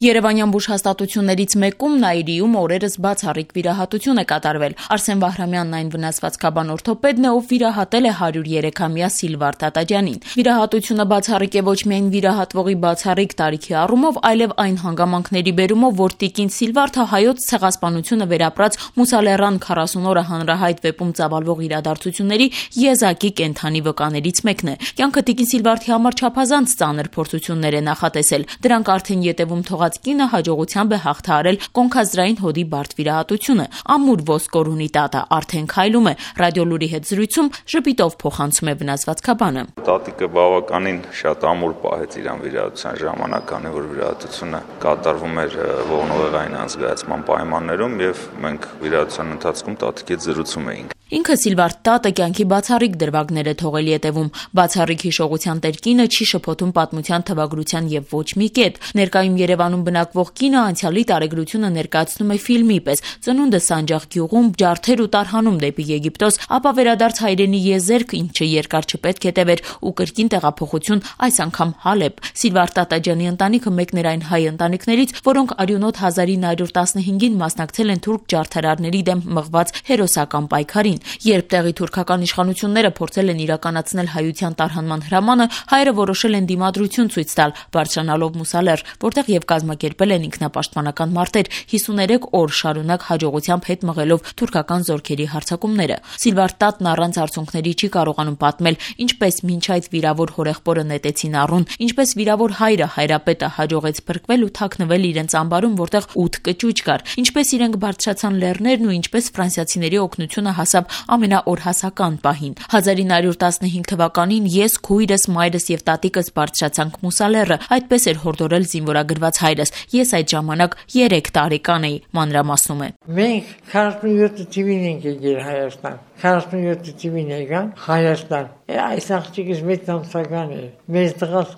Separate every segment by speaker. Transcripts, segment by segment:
Speaker 1: Երևանյան բուժհաստատություններից մեկում Նաիրիում օրերս բացառիկ վիրահատություն է կատարվել։ Արսեն Վահրամյանն այն վնասվածքաբան օրթոպեդն է, ով վիրահատել է 103-ամյա Սիլվար Տատաջանին։ Վիրահատությունը բացառիկ է ոչ միայն վիրահատվողի բացառիկ տարիքի առումով, այլև այն հանգամանքների բերումով, որ տիկին Սիլվարթը հայոց ցեղասպանությունը վերապրած Մուսալեռան 40 օրը հանրահայտ վեպում ծավալվող իրադարձությունների եզակի կենդանի վկաներից մեկն է։ Կյանքը տիկին Սիլվարթի համար չափազանց ծանր փորձություններ է նախատեսել։ Դրանք արդեն ետևում կինը հաջողությամբ է հաղթահարել կոնքազդրային հոդի բարդ վիրահատությունը։ Ամուր ոսկոր ունի տատը, արդեն քայլում է։ Ռադիոլուրի հետ զրույցում ժպիտով փոխանցում է վնասվածքաբանը։
Speaker 2: Տատիկը բավականին շատ ամուր պահեց իրան վիրահատության ժամանակ, քանի որ վիրահատությունը կատարվում էր ողնուղեղային անզգայացման պայմաններում եւ մենք վիրահատության ընթացքում տատիկի հետ զրուցում էինք։
Speaker 1: Ինքը Սիլվար տատը կյանքի բացառիկ դրվագներ է թողել ետևում։ Բացառիկ հիշողության տեր կինը չի շփոթում պատմության թվագրության եւ ոչ մի կետ։ Ներկայում Երևանում բնակվող կինը անցյալի տարեգրությունը ներկայացնում է ֆիլմի պես։ Ծնունդը Սանջաղ գյուղում, ջարդեր ու տարհանում դեպի Եգիպտոս, ապա վերադարձ հայրենի եզերք, ինչը երկար չպետք է տևեր, ու կրկին տեղափոխություն, այս անգամ Հալեբ։ Սիլվար Տատաջանի ընտանիքը մեկն էր այն հայ ընտանիքներից, որոնք արյունոտ 1915-ին մասնակցել են թուրք ջարդարարների դեմ մղված հերոսական պայքարին։ Երբ տեղի թուրքական իշխանությունները փորձել են իրականացնել հայության տարհանման հրամանը, հայերը որոշել են դիմադրություն ցույց տալ, բարձրանալով Մուսալեռ, որտեղ եւ կազմակերպել են ինքնապաշտպանական մարտեր 53 օր շարունակ հաջողությամբ հետ մղելով թուրքական զորքերի հարձակումները։ Սիլվար տատն առանց արցունքների չի կարողանում պատմել, ինչպես մինչ այդ վիրավոր հորեղբորը նետեցին առուն, ինչպես վիրավոր հայրը հայրապետը հաջողեց փրկվել ու թաքնվել իրենց ամբարում, որտեղ 8 կճուճ կար, ինչպես իրենք բարձրացան լեռներն ու ինչպես ֆրանսիացիների օգնությունը հասավ ամենաօրհասական պահին։ 1915 թվականին ես, քույրս, մայրս եւ տատիկս բարձրացանք Մուսալեռը, այդպես էր հորդորել զինվորագրված հայրս։ Ես այդ ժամանակ 3 տարեկան էի, մանրամասնում է։
Speaker 3: Մենք 47 թվին ենք եկել Հայաստան։ 47 թվին եկան Հայաստան։ Այս աղջիկս 6 ամսական է։ Մեծ տղաս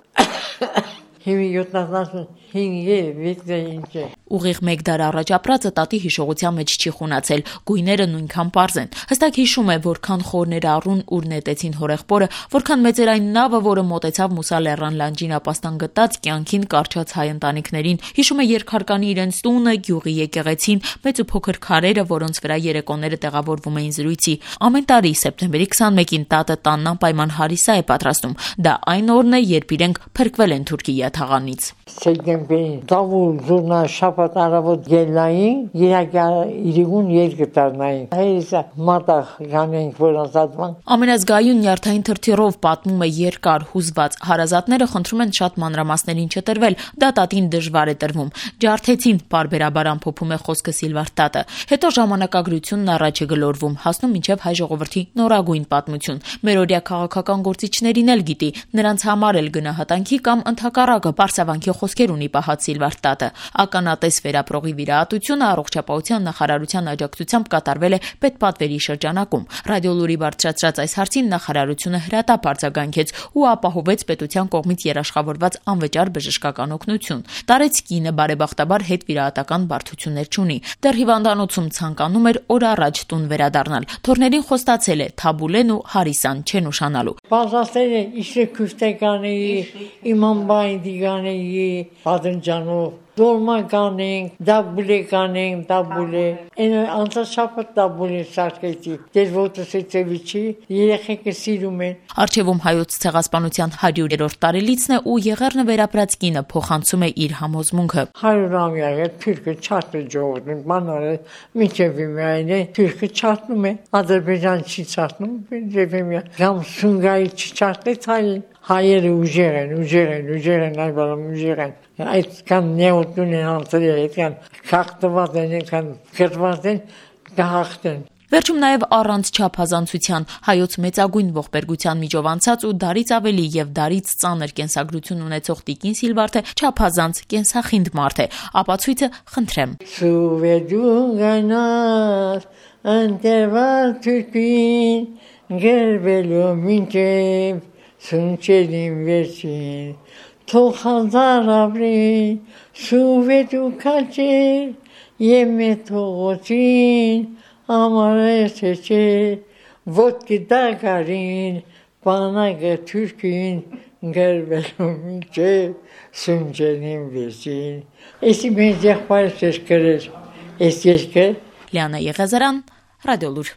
Speaker 3: Հիմի 75 է։
Speaker 1: Ուղիղ 1 դար առաջ ապրածը տատի հիշողության մեջ չի խունացել, գույները նույնքան պարզ են։ Հստակ հիշում է, որքան խորներ առուն ուր նետեցին հորեղբորը, որքան մեծ էր այն նավը, որը մոտեցավ Մուսալեռան լանջին ապաստան գտած կյանքին կարճած հայ ընտանիքներին։ Հիշում է երկհարկանի իրենց տունը, գյուղի եկեղեցին, մեծ ու փոքր քարերը, որոնց վրա երեկոները տեղավորվում էին զրույցի։ Ամեն տարի սեպտեմբերի 21-ին տատը տանն անպայման հարիսա է պատրաստում։ Դա այն օրն է, երբ իրենք փրկվել են թուրքի յաթաղանից։
Speaker 3: Սեպտեմբերին դավուլ զուրնա շաբաթ առավոտ ելնային, իրիկուն երկտարնային։ Հայիսա մատաղ գանենք որոնցատման։
Speaker 1: Ամենազգայուն նյարդային թրթիռով պատմում է երկար հուզված։ Հարազատները խնդրում են շատ մանրամասներին չտրվել, դա տատին դժվար է տրվում։ Ջարդեցին, բարբերաբար ամփոփում է խոսքը Սիլվար տատը։ Հետո ժամանակագրությունն առաջ է գլորվում, հասնում մինչև հայ ժողովրդի նորագույն պատմություն։ Մերօրյա քաղաքական գործիչներին էլ գիտի, նրանց համար էլ գնահատանքի կամ ընդհակառակը պարսավանքի խոսքեր ունի պահած Սիլվար տատը։ Ականատես վերապրողի վիրահատությունը առողջապահության նախարարության աջակցությամբ կատարվել է պետպատվերի շրջանակում։ Ռադիոլուրի բարձրացրած այս հարցին նախարարությունը հրատապ արձագանքեց ու ապահովեց պետության կողմից երաշխավորված անվճար բժշկական օգնություն։ Տարեց կինը բարեբախտաբար հետ վիրահատական բարդություններ չունի։ Դեռ հիվանդանոցում ցանկանում էր օր առաջ տուն վերադառնալ։ Թորներին խոստացել է Թաբուլեն ու Հարիսան չեն ուշանալու։
Speaker 3: Բազասել է իշե քուստեկանի, իմամբային դիգանեի, պատնջանով Dolma կանենք, դաբուլե կանենք, դաբուլե։ Այն անցաշապտ դաբուլե սարքեցի։ Դեր ոտոսեցեվիչի երեխեքը սիրում են։
Speaker 1: Արչևում հայոց ցեղասպանության 100-րդ տարելիցն է ու Եղեռնը վերապրած կինը փոխանցում է իր համոզմունքը։
Speaker 3: 100-ամյա է թուրքը չարտ է ժողովրդին, բանալը միջև միայն է թուրքը չարտնում է։ Ադրբեջան չի չարտնում, Ջեվեմիա։ Գամ Սունգայի չարտեց հային։ Հայերը ուժեր են, այբալամ ուժեր են։ Այդքան նեոտուն են անցրել, այդքան խախտված են, այդքան կրված են, կհաղթեն։
Speaker 1: Վերջում նաև առանց չափազանցության հայոց մեծագույն ողբերգության միջով անցած ու դարից ավելի եւ դարից ծանր կենսագրություն ունեցող տիկին Սիլվարթը չափազանց կենսախինդ մարդ է։ Ապացույցը խնդրեմ։
Speaker 3: Սուվեդուն գանար ընտերվար թուրքին գերվելու մինչև Սունչերին վերջին թող հազար ապրին սուվեդու կալչեր եմե թողոցին ամարես չէ ոտքի դագարին բանակը թուրքին գրվելու մինչև Սունջենին վեճին։ Էսի մենք եղբայրս գրեր, էս երկը։
Speaker 1: Լիանա Եղիազարյան, Ռադիոլուր։